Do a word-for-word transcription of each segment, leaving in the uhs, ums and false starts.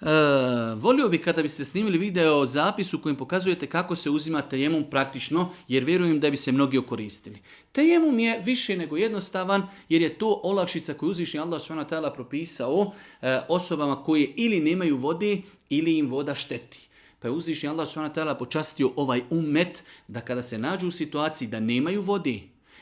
E, volio bih kada biste snimili video zapis u kojem pokazujete kako se uzima tejemum praktično, jer vjerujem da bi se mnogi okoristili. Tejemum je više nego jednostavan, jer je to olakšica koju uzvišeni Allah subhanahu wa ta'ala propisao e, osobama koje ili nemaju vode ili im voda šteti. Pa je uzvišeni Allah subhanahu wa ta'ala počastio ovaj ummet da kada se nađu u situaciji da nemaju vode,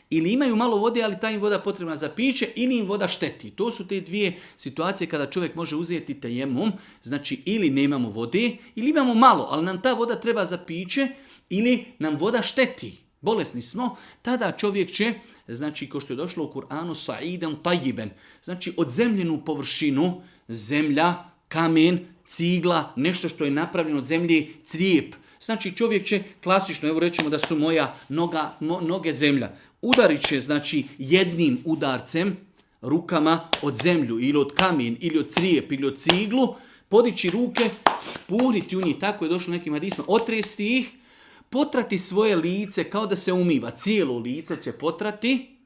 ili imaju malo vode, ali ta im voda potrebna za piće, ili im voda šteti. To su te dvije situacije kada čovjek može uzeti tejemum, znači ili nemamo vode, ili imamo malo, ali nam ta voda treba za piće, ili nam voda šteti. Bolesni smo, tada čovjek će, znači kao što je došlo u Kur'anu, sa'idan tajiben, znači od zemljenu površinu, zemlja, kamen, cigla, nešto što je napravljeno od zemlje, crijep. Znači čovjek će klasično, evo rećemo da su moja noga, mo, noge zemlja, udarit će znači jednim udarcem rukama od zemlju ili od kamen ili od crijep ili od ciglu, podići ruke, puhriti u njih, tako je došlo nekim hadisima, otresti ih, potrati svoje lice kao da se umiva, cijelo lice će potrati,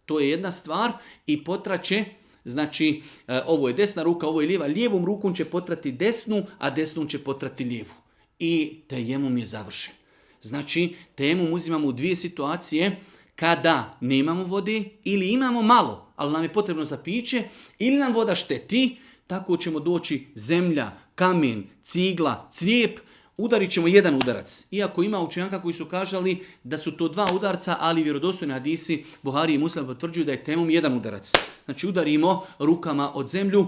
to je jedna stvar, i potraće, znači ovo je desna ruka, ovo je lijeva, lijevom rukom će potrati desnu, a desnom će potrati lijevu. I tejemum je završen. Znači, tejemum uzimamo u dvije situacije, kada nemamo vode ili imamo malo, ali nam je potrebno za piće, ili nam voda šteti, tako ćemo doći zemlja, kamen, cigla, crijep, udarit ćemo jedan udarac. Iako ima učenjaka koji su kažali da su to dva udarca, ali vjerodostojni hadisi Buhari i Muslim potvrđuju da je tejemum jedan udarac. Znači udarimo rukama od zemlju,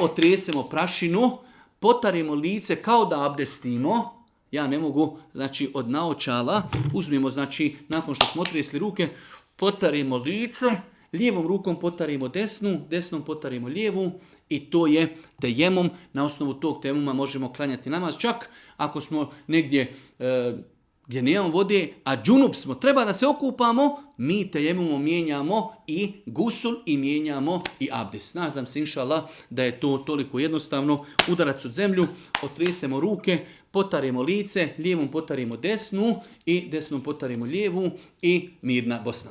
otresemo prašinu, potarimo lice kao da abdestimo. Ja ne mogu, znači od naočala, uzmemo, znači nakon što smo otresli ruke, potarimo lice, lijevom rukom potarimo desnu, desnom potarimo lijevu i to je tejemum. Na osnovu tog tejemuma možemo klanjati namaz. Čak ako smo negdje e, gdje nemamo vode, a džunup smo, treba da se okupamo, mi tejemumom mijenjamo i gusul i mijenjamo i abdest. Nadam se, inša Allah, da je to toliko jednostavno. Udarac od zemlju, otresemo ruke, potarimo lice, lijevom potarimo desnu i desnom potarimo lijevu i mirna Bosna.